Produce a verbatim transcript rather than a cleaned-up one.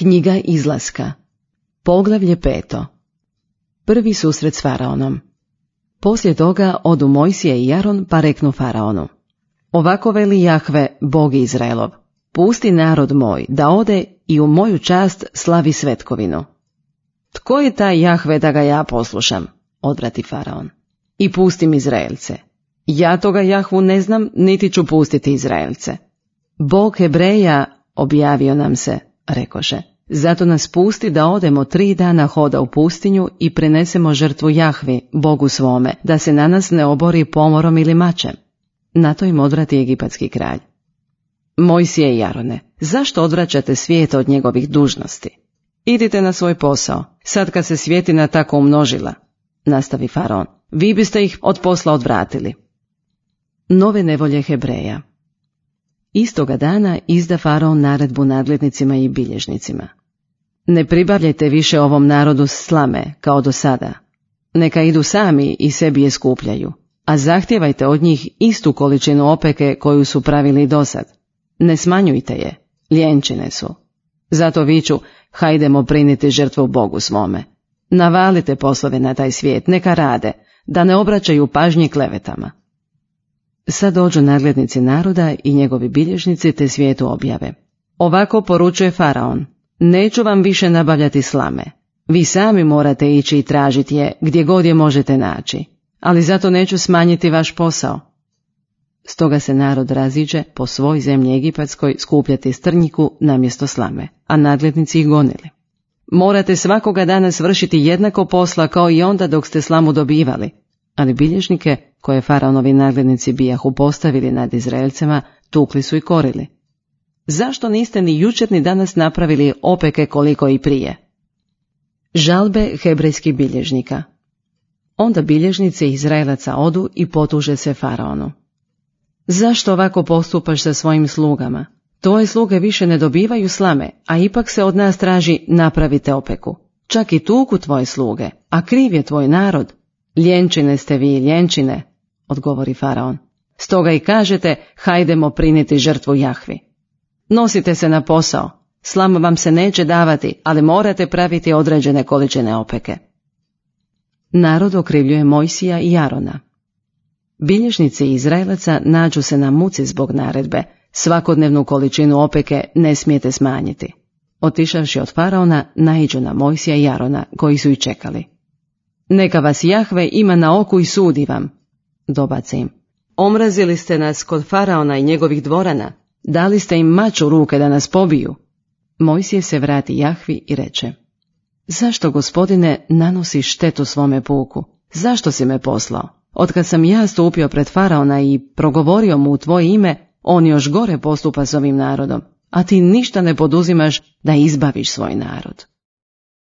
Knjiga Izlaska. Poglavlje peto. Prvi susret s faraonom. Poslije toga odu Mojsije i Aron pa reknu faraonu: Ovako veli Jahve, Bog Izraelov, pusti narod moj da ode i u moju čast slavi svetkovinu. Tko je taj Jahve da ga ja poslušam? Odvrati faraon. I pustim Izraelce. Ja toga Jahvu ne znam, niti ću pustiti Izraelce. Bog Hebreja objavio nam se, rekoše, zato nas pusti da odemo tri dana hoda u pustinju i prinesemo žrtvu Jahvi, Bogu svome, da se na nas ne obori pomorom ili mačem. Na to im odvrati egipatski kralj: Mojsije i Arone, zašto odvraćate svijet od njegovih dužnosti? Idite na svoj posao, sad kad se svjetina tako umnožila, nastavi faraon, vi biste ih od posla odvratili. Nove nevolje Hebreja. Istoga dana izda faraon naredbu nadglednicima i bilježnicima: Ne pribavljajte više ovom narodu slame kao do sada, neka idu sami i sebi je skupljaju, a zahtijevajte od njih istu količinu opeke koju su pravili dosad. Ne smanjujte je, ljenčine su. Zato viču: hajdemo priniti žrtvu Bogu svome. Navalite poslove na taj svijet, neka rade, da ne obraćaju pažnji klevetama. Sad dođu nadglednici naroda i njegovi bilježnici te svijetu objave: Ovako poručuje faraon: neću vam više nabavljati slame. Vi sami morate ići i tražiti je gdje god je možete naći, ali zato neću smanjiti vaš posao. Stoga se narod raziđe po svoj zemlji egipatskoj skupljati strnjiku namjesto slame, a nadglednici ih gonili. Morate svakoga dana svršiti jednako posla kao i onda dok ste slamu dobivali, ali bilježnike koje faraonovi nadglednici bijahu postavili nad Izraelcima tukli su i korili. Zašto niste ni jučer ni danas napravili opeke koliko i prije? Žalbe hebrejskih bilježnika. Onda bilježnici Izraelaca odu i potuže se faraonu: Zašto ovako postupaš sa svojim slugama? Tvoje sluge više ne dobivaju slame, a ipak se od nas traži napravite opeku. Čak i tuku tvoje sluge, a kriv je tvoj narod. Ljenčine ste vi, ljenčine, odgovori faraon. Stoga i kažete: hajdemo priniti žrtvu Jahvi. Nosite se na posao, slama vam se neće davati, ali morate praviti određene količine opeke. Narod okrivljuje Mojsija i Arona. Bilježnici Izraelaca nađu se na muci zbog naredbe: svakodnevnu količinu opeke ne smijete smanjiti. Otišavši od faraona, naiđu na Mojsija i Arona, koji su i čekali. Neka vas Jahve ima na oku i sudi vam, dobace im. Omrazili ste nas kod faraona i njegovih dvorana, dali ste im mač u ruke da nas pobiju. Mojsije se vrati Jahvi i reče: Zašto, gospodine, nanosiš štetu svome puku? Zašto si me poslao? Otkad sam ja stupio pred faraona i progovorio mu u tvoje ime, on još gore postupa s ovim narodom, a ti ništa ne poduzimaš da izbaviš svoj narod.